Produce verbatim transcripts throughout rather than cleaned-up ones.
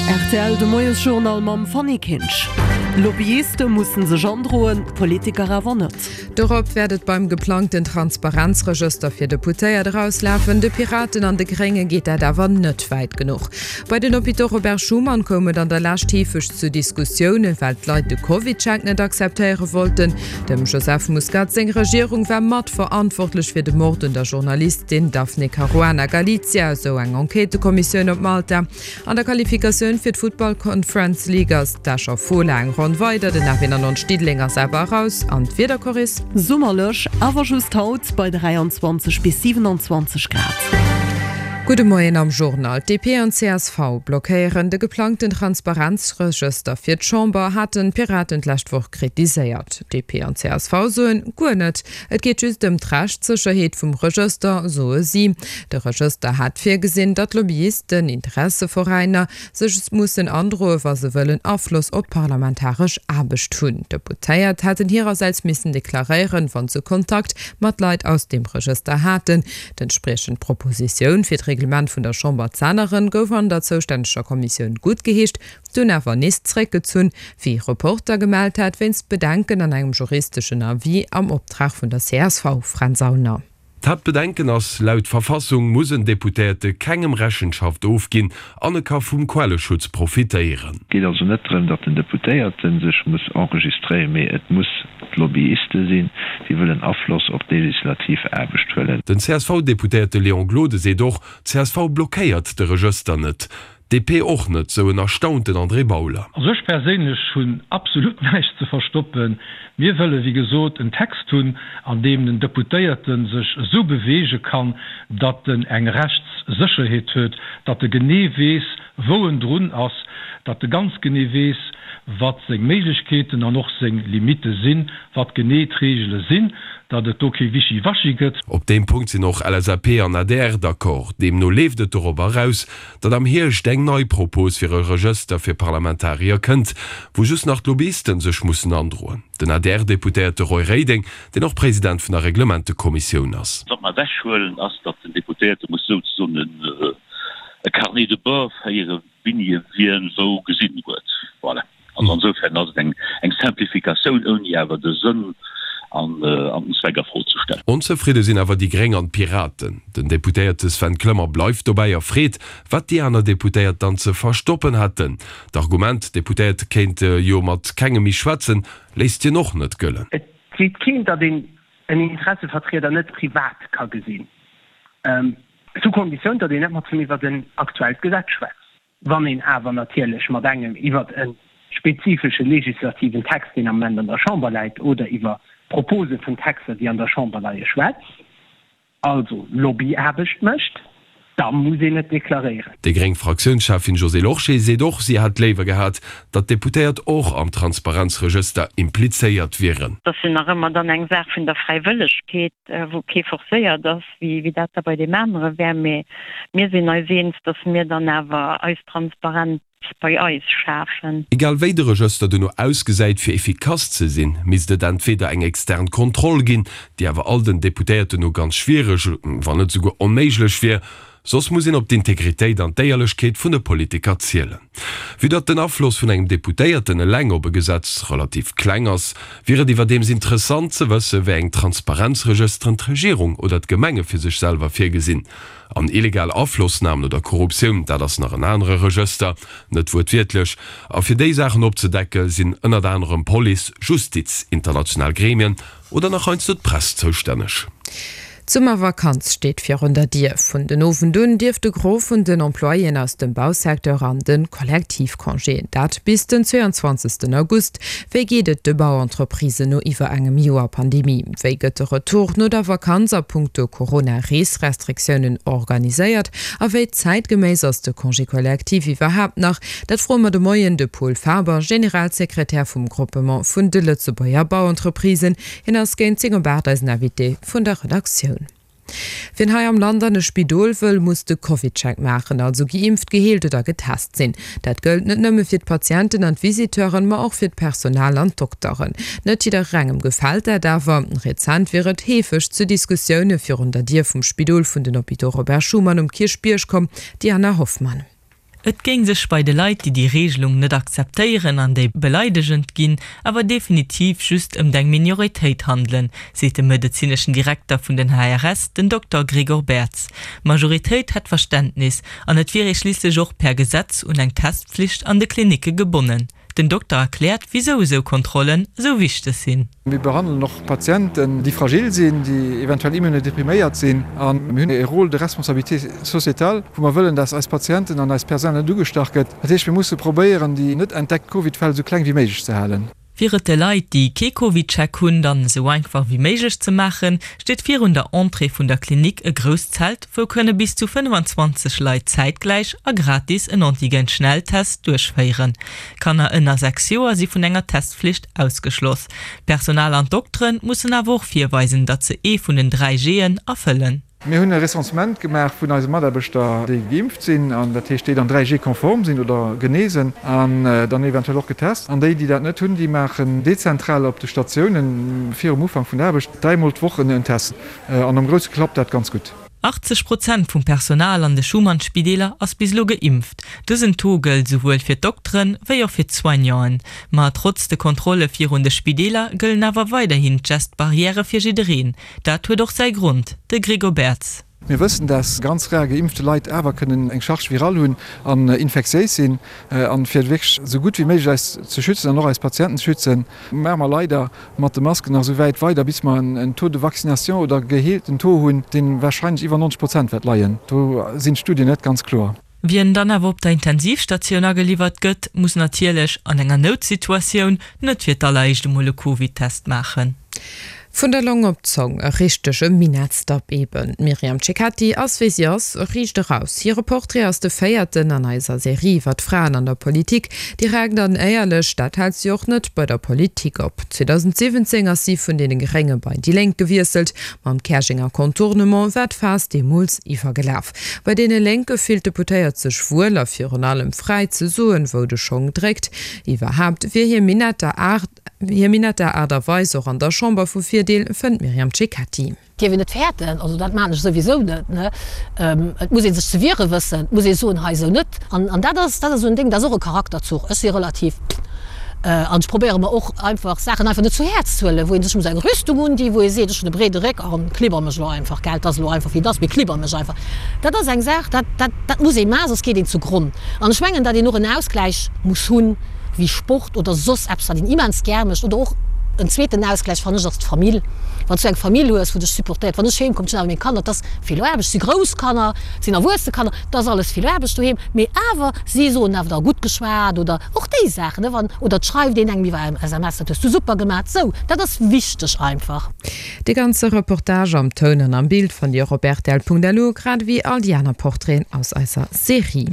Rtl, de Moiesjournal mam Fanny Kinsch. Lobbyiste mussen sech androen, Politiker awer net. Dorop wäert et beim geplangten Transparenzregëster fir Deputéiert erauslafen. De Piraten an de Grénge geet dat awer net wäit genuch. Bei den Hôpitaux Robert Schuman koum et an der Lescht heefeg zu Diskussiounen, well d'Leit de CovidCheck net akzeptéiere wollten. Dem Joseph Muscat seng Regierung war mat verantwortlech fir de Mord un der Journalistin Daphne Caruana Galizia, esou eng Enquêtëkommissioun op Malta. An der Qualifikatioun fir d'Futtball Conference League ass d'Escher Fola eng Ronn weider, den F eenannonzeg Diddeleng ass awer eraus. An d'Wiederchorris? Summerlech, awer just haut bei dräianzwanzeg bis siwenanzwanzeg Grad. Gudde Moien am Journal. D P an C S V blockéieren de geplangten Transparenzregëster fir d'Chamber, haten d'Piraten d'lescht Woch kritiséiert. D P an C S V soen, guer net. Et geet just ëm d'Rechtssécherheet vum Regëster, soe si. De Regëster hat virgesinn, datt Lobbyisten, Interesseveräiner sech mussen androen, wa se wëllen Afloss op d'parlamentaresch Aarbecht hunn. D'Deputéiert hätten hirersäits missen deklaréieren, wa se Kontakt mat Leit aus deem Regëster haten. D'entspriechend Propositioun fir d'Reglement vun der Chamber z'änneren, gouf an der zoustänneger Kommissioun guttgeheescht, dunn awer nees zréckgezunn, wéi Reporter gemellt hat, wéinst Bedenken an engem juristeschen Avis am Optrag vun der C S V, Fränz Aulner. D'Haaptbedenken ass, Laut Verfassung muss en Deputéierte kengem Rechenschaft ofginn an e ka vum Quelleschutz profitéieren. Et geet also net drëm, datt den Deputéierte sech muss enregistréieren, mee et muss d'Lobbyiste sinn, déi wëllen Afloss op d'legislativ Aarbecht huelen. Den C S V-Deputéierte Léon Gloden seet och, C S V blockéiert de Regëster net. D P och net, sou en erstaunten André Bauler. Also ech perséinlech hunn absolut näischt ze verstoppen. Mir wëlle wéi gesot en Text hunn, an deem den Deputéierte sech esou beweege kann, datt en eng Rechtssécherheet huet, datt e genee weess, wou en drun ass, datt e ganz genee weess, wat seng Méiglechkeeten an och seng Limitte sinn, wat genee d'Reegele sinn, datt et do kee Wischiwaschi gëtt. Op deem Punkt sinn och L S A P an A D R d'accord. Deemno leeft et dorobber eraus, datt am Hierscht eng nei Propos fir e Regëster fir Parlamentarier kënnt, wou just nach d'Lobbyisten sech mussen androen. Den A D R-Deputéierte Roy Reding, deen och President vun der Reglementekommissioun ass. Wat mer ewechhuelen, ass, datt den Deputéierte muss souzesoen e Carnet de bord féieren, wéini e wien wou gesinn huet. Voilà. Also insofern ass et eng eng Simplificatioun, ouni awer de Sënn an an den Zweck a Fro ze stellen. Onzefridde sinn awer déi Gréng an d'Piraten. Den Deputéierte Sven Clement bleift dobäi a freet, wat déi aner Deputéiert dann ze verstoppen hätten. D'Argument, d'Deputéiert kéinte jo mat kengem méi schwätzen, léisst hien och net gëllen. Et seet keen, datt een en Interessevertrieder net privat ka gesinn, sous Konditioun, datt een net mat him iwwert en aktuellt Gesetz schwätzt. Wann een awer natierlech mat engem iwwert e spezifesche legislativen Text, deen am Moment an der Chamber läit, oder iwwer Propose vun Texter, déi an der Chamber leie schwätzt, also Lobbyaarbecht mécht, da muss een et deklaréieren. Déi gréng Fraktiounscheffin Josée Lorsché seet och, si hätt léiwer gehat, datt d'Deputéiert och am Transparenzregëster implizéiert wieren. Dat ass jo nach ëmmer dann eng Saach vun der Fräiwëllegkeet, wou kee forcéiert ass, wéi dat da bei deem anere wär. Mee mir sinn eis eens, datt mir dann awer eis Transparenz bei eis schafen. Egal wéi de Regëster duerno ausgesäit, fir efficace ze sinn, misst et entweder eng extern Kontroll ginn, déi awer all den Deputéierten no ganz schwiereg, wann net souguer onméiglech wier, soss muss een op d'Integritéit an d'Éierlechkeet vun de Politiker zielen. Vue datt den Afloss vun engem Deputéierten eleng op e Gesetz relativ kleng ass, wier et iwwerdeems interessant ze wësse wéi eng Transparenzregësteren d'Regierung oder d'Gemenge fir sech selwer virgesinn. An illegal Aflossnamen oder Korruptioun, dat ass nach en anere Regëster, net wuertwiertlech. A fir déi Saachen opzedecke sinn ënnert anerem Police, Justiz, international Gremien oder nach heiansdo d'Press zoustänneg. D'Summervakanz steet virun der Dier. Vun den Owend un dierf de Gros vun den Employéen aus dem Bausecteur an de Kollektivcongé. Dat bis den zweeanzwanzegsten August. Wéi geet et de Bauentreprisen no iwwer engem Joer Pandemie? Wéi gëtt de Retour no der Vakanz a punkto Corona-Reesrestriktiounen organiséiert? A wéi zäitgeméiss ass de Congé collectif iwwerhaapt nach? Dat froe mer de Moien de Pol Faber, Generalsekretär vum Groupement vun de Lëtzebuerger Bauentreprisen. Hien ass géint zéng op aacht eisen Invité vun der Redaktioun. Wien hei am Land an e Spidol wëll, muss de CovidCheck maachen, also geimpft, geheelt oder getest sinn. Dat gëllt net nëmme fir d'Patienten an d'Visiteuren, ma och fir d'Personal an d'Dokteren. Net jidderengem gefält dat awer. Rezent wier et heefeg zu Diskussioune virun der Dier vum Spidol vun den Hôpitaux Robert Schuman um Kierchbierg komm, Diana Hoffmann. Et géing sech bei de Leit, déi déi Reegelung net akzeptéieren an déi beleidegend ginn, awer definitiv just ëmt eng Minoritéit handelen, seet de medezineschen Direkter vun den H R S, den Dokter Gregor Berz. D'Majoritéit hätt Verständnis an et wier ee schliisslech och per Gesetz un eng Testpflicht an de Klinicke gebonnen. Den Dokter erkläert, wisou esou Kontrollen esou wichteg sinn. Mir behandelen och Patienten, déi fragil sinn, déi eventuell immunodepriméiert sinn. A mir hunn e Rôle de responsabilité sociétale, wou mer wëllen, dass eis Patienten an eist Personal net ugestach gëtt. Dat heescht, mir musse probéieren, déi net entdeckt Covid-Fäll esou kleng wéi méiglech ze halen. Fir et de Leit, déi kee CovidCheck hunn, dann esou einfach wéi méiglech ze maachen, steet virun der Entrée vun der Klinik e grousst Zelt, wou kënne bis zu fënnfanzwanzeg Leit zäitgläich a gratis en Antigen-Schnelltest duerchféieren. Kanner ënner sechs Joer si vun enger Testflicht ausgeschloss. D'Personal an d'Doktere mussen awer och virweisen, datt se ee vun den dräi G'en erfëllen. Mir hunn e Recensement gemaach vun eise Mataarbechter, déi geimpft sinn, an dat heescht, déi dann dräi G-konform sinn oder genesen an dann eventuell och getest. An déi, déi dat net hunn, déi maachen dezentral op de Statiounen virum Ufank vun der Aarbecht dräimol d'Woch en Test. An am Grousse klappt dat ganz gutt. Achtzeg Prozent vum Personal an de Schuman-Spideeler ass bis elo geimpft. Dësen Taux gëllt esouwuel fir d'Dokteren, wéi och fir d'Soignanten. Ma trotz de Kontrolle virun de Spideeler gëllen awer weiderhin d'Gest-Barrièrë fir jiddereen. Dat huet och säi Grond, de Gregor Berz. Mir wëssen, dass ganz rar geimpfte Leit awer kënnen eng Charge virale hunn an infektiéis sinn. An fir wierklech esou gutt wéi méiglech eis ze schützen an och eis Patienten ze schützen, maache mer leider mat de Masken nach esou wäit weider, bis mer en Taux de vaccination oder geheelten Taux hunn, dee warscheinlech iwwer neunzeg Prozent wäert leien. Do sinn d'Studien net ganz kloer. Wien dann awer op der Intensivstatioun ageliwwert gëtt, muss natierlech an enger Noutsituatioun net fir d'alleréischt emol e Covid-Test maachen. Vun der Long op d'Zong, e richtege Minettsdapp eben. D'Myriam Cecchetti ass wéi si ass, riicht eraus. Hire Portrait ass de véierten an eiser Serie iwwer d'Fraen an der Politik. Direkt an éierlech, dat hält si och net bei der Politik op. zweedausendsiwwenzéng ass si vun deene Grénge bei déi Lénk gewiesselt. Mam Käerjenger Contournement war d'Faass deemools iwwergelaf. Bei deene Lénke fillt d'Deputéiert sech wuel a virun allem fräi ze soen, wou de Schong dréckt. Iwwerhaapt wier hir Minetter Aart hir Minetter Aart a Weis och an der Chamber vu Virdeel, fënnt d'Myriam Cecchetti. Dierf een net fäerten, also dat maachen ech souwisou net, ne. Et muss ee sech ze wiere wëssen, et muss ee soen, hei esou net. An an dat ass, dat ass esou en Déng, dat ass och e Charakterzuch. Ech si relativ, an ech probéiere mer och einfach Saachen einfach net zu Häerz ze huelen, wou ee sech muss eng Rüstung undinn, wou ee seet, ech hunn e breede Réck an klibber mech elo einfach, gell, et ass elo einfach wéi et ass, mee klibber mech einfach. Dat ass eng Saach, dat, dat, dat muss ee maachen, soss geet een zu Gronn. An ech mengen, datt een och en Ausgläich muss hunn, wéi Sport oder soss eppes, wat een immens gär mécht oder och en zweeten Ausgläich, fannen ech, ass d'Famill. Wann s du eng Famill hues, wou dech supportéiert. Wann ech heem kommen, ech hunn awer meng Kanner, et ass vill Aarbecht, et si grouss Kanner, et sinn erwuesse Kanner, et ass alles vill Aarbecht doheem, mee awer, si soen awer da gutt geschwat oder och déi Saachen, ne, wann, oder et schreift een engem iwwer S M S, dat hues du super gemaach, sou, dat ass wichteg einfach. De ganze Reportage am Toun an am Bild fannt Dir och op rtl Punkt L U, grad ewéi all déi aner Portraiten aus eiser Serie.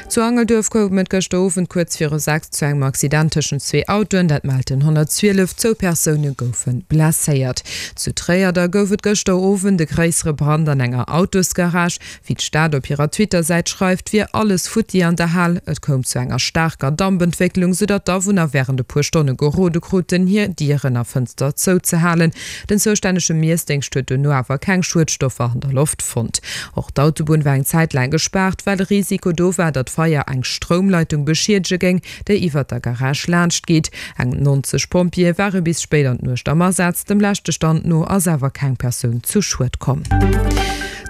Zu Angelduerf koum et gëschter Owend kuerz viru sechs zu engem Accident tëschent zwee Autoen, dat mellt den honnertzwielef. Zwou Persoune goufe blesséiert. Zu Tréier da gouf et gëschter Owend e gréissere Brand an enger Autosgarage. Wéi d'Stad op hirer Twitter-Säit schreift, wier alles futti an der Hal. Et koum zu enger staarker Dampentwécklung, soudatt d'Awunner wärend e puer Stonne gerode kruten, hir Dieren a Fënster zouzehalen. Den zoustännege Miessdéngscht huet duerno awer keng Schuedstoffer an der Loft fonnt. Och d'Autobunn war eng Zäit laang gespaart, well de Risiko do war, datt d'Feier eng Stroumleitung beschiedege géing, déi iwwert der Garage laanscht geet. Eng neunzeg Pompjeeë ware bis spéit an d'Nuecht am Asaz. Dem leschte Stand no ass awer keng Persoun zu Schued komm.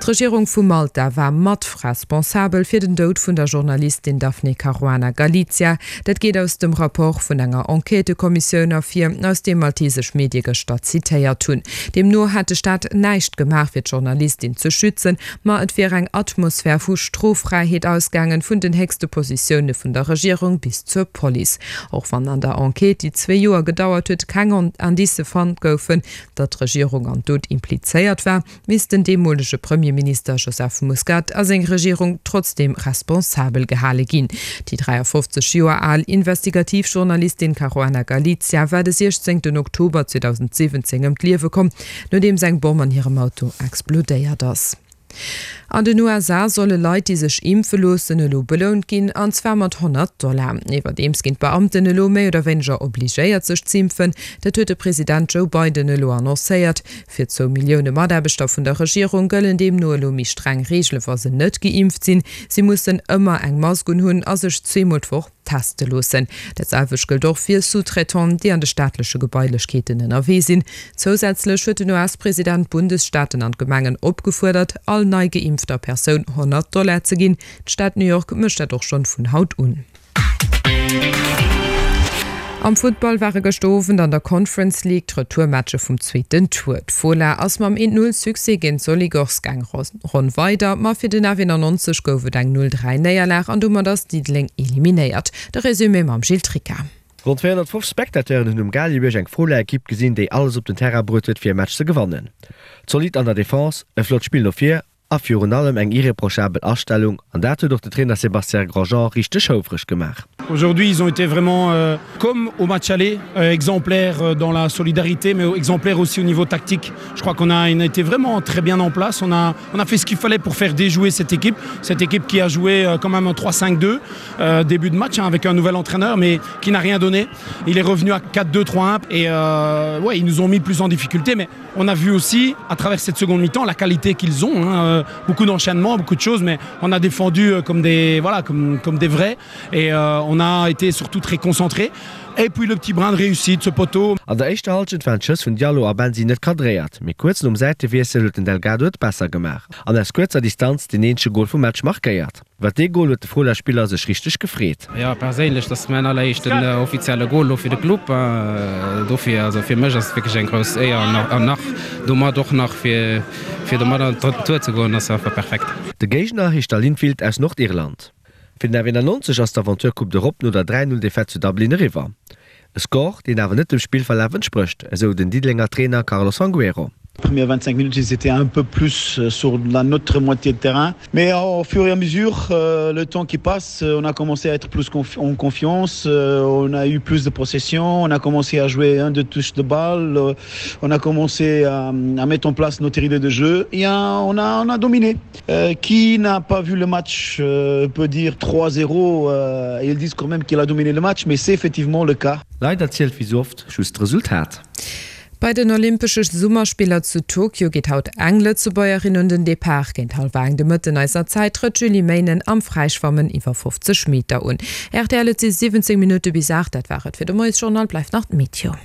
D'Regierung vu Malta war mat responsabel fir den Doud vun der Journalistin Daphne Caruana Galizia. Dat geet aus dem Rapport vun enger Enquêtëkommissioun ervir, aus deem maltesesch Medie gëschter zitéiert hunn. Deemno hätt de Staat näischt gemaach fir d'Journalistin ze schützen, ma et wier eng Atmosphär vu Stroffräiheet ausgaangen, vun den héchste Positioune vun der Regierung bis zur Police. Och wann an der Enquête, déi zwee Joer gedauert huet, keng Indicë fonnt goufen, datt d'Regierung an Doud implizéiert war, misst den deemolege Premierminister Joseph Muscat a seng Regierung trotzdeem responsabel gehale ginn. Déi dräiafofzeg Joer al Investigativjournalistin Caruana Galizia war de siechzéngten Oktober zweedausendsiwwenzéng ëm d'Liewe komm, nodeems eng Bomm an hirem Auto explodéiert ass. An den USA solle Leit, déi sech impfe loossen, elo belount ginn, an zwar mat honnert Dollar. Iwwerdeems ginn d'Beamten elo méi oder wéineger obligéiert sech z'impfen. Dat huet de President Joe Biden elo annoncéiert. Fir zwou Millioune Mataarbechter vun der Regierung gëllen deemno elo méi streng Reegele wa se net geimpft sinn. Si mussen ëmmer eng Mask unhunn a sech zweemol d'Woch teste loossen. Dat selwecht gëllt och fir Sous-traitanten, déi an de staatleche Gebailechkeeten ënnerwee sinn. Zousätzlech huet den US-President d'Bundesstaaten an d'Gemengen opgefuerdert, all nei geimpfter Persoun honnert Dollar ze ginn. D'Stad New York mécht dat och schonn vun haut un. Am Futtball ware gëschter Owend an der Conference League d'Retourmatche vum zweeten Tour. D'Fola ass mam een Null Succès géint Soligorsk eng Ronn weider, ma fir den F eenannonzeg gouf et eng Null dräi Néierlag an domat ass Diddeleng eliminéiert. De Resumé mam Gilles Tricca. Ronn zweehonnertfofzeg Spectateuren hunn um Gaalgebierg eng Fola-Ekipp gesinn, déi alles op den Terrain bruet huet, fir e Match ze gewannen. Zolidd an der Defense, e flott Spill no vir a virun allem eng irreprochabel Astellung, an dat huet och de Trainer Sébastien Grosjean richteg houfreg gemaach. Aujourd'hui, ils ont été vraiment euh, comme au match aller, euh, exemplaires euh, dans la solidarité, mais exemplaires aussi au niveau tactique. Je crois qu'on a, on a été vraiment très bien en place. On a, on a fait ce qu'il fallait pour faire déjouer cette équipe. Cette équipe qui a joué euh, quand même un trois cinq deux, euh, début de match hein, avec un nouvel entraîneur, mais qui n'a rien donné. Il est revenu à quatre deux trois un et euh, ouais, ils nous ont mis plus en difficulté, mais on a vu aussi à travers cette seconde mi-temps la qualité qu'ils ont. Hein, euh, beaucoup d'enchaînements, beaucoup de choses, mais on a défendu euh, comme des, voilà, comme, comme des vrais et euh, on a été surtout très concentré. Et puis le petit brin de réussite, ce poteau. An der éischter Hallschent waren d'Schëss vun Diallo a Bensi net cadréiert, mee kuerz nom Säitewiessel huet den Delgado et besser gemaach an aus kuerzer Distanz deen eenzege Gol vum Match markéiert. Iwwer dee Gol huet de Fola-Spiller sech richteg gefreet. Jo, perséinlech, dat ass mäin alleréischten offizielle Gol elo fir de Club. Dofir, also fir mech ass et wierklech eng grouss Éier an nach domat och nach fir domat an den drëtten Tour ze goen, ass einfach perfekt. De Géigner heescht da Linfield aus Nordirland. Fir den F eenannonzeg ass d'Aventure Coupe d'Europe no der dräi Null Defaite zu Dublin eriwwer. E Score, deen awer net dem Spillverlaf entsprécht, esou den Diddelenger Trainer Carlos Fangueiro. Premières vingt-cinq minutes, ils étaient un peu plus sur la notre moitié de terrain. Mais au fur et à mesure, le temps qui passe, on a commencé à être plus en confiance, on a eu plus de possession, on a commencé à jouer un deux touches de balle, on a commencé à, à mettre en place notre idée de jeu et on a, on a dominé. Euh, qui n'a pas vu le match euh, peut dire trois zéro, euh, ils disent quand même qu'il a dominé le match, mais c'est effectivement le cas. Leider zielt wéi sou oft just d'Resultat. Bei den Olympesche Summerspiller zu Tokio geet haut eng Lëtzebuergerin un den Depart. Géint hallwer eng de Mëtten eiser Zäit trëtt d'Julie Meynen am Fräischwammen iwwer fofzeg Meter un. Rtl, Et si siwwenzéng Minutte bis aacht. Dat war et fir de Moiesjournal. Bleift nach d'Meteo.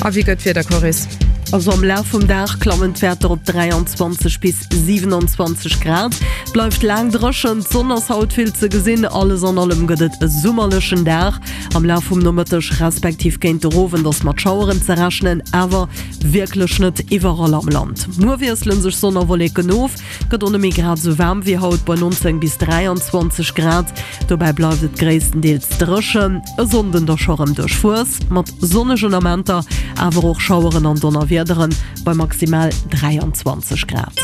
A wéi gëtt d'Wieder, Coris? Also am Laf vum Dag klammen d'Wäerter op dräianzwanzeg bis siwenanzwanzeg Grad. Bleift laang dréchen, d'Sonn ass haut vill ze gesinn. Alles an allem gëtt et e summerlechen Dag. Am Laf vum Nomëtteg respektiv géint de Owend ass mat Schaueren ze rechnen, awer wierklech net iwwerall am Land. Muer wiessele sech Sonn a Wolleken of, gëtt och nëmme grad esou waarm wéi haut bei nonzéng bis dräianzwanzeg Grad. Dobäi bleift et gréisstendeels dréchen. E Sonnden da scho rëm duerchwuess mat sonnegen Amenter, awer och Schaueren an Donnerwiederen bei maximal dräianzwanzeg Grad.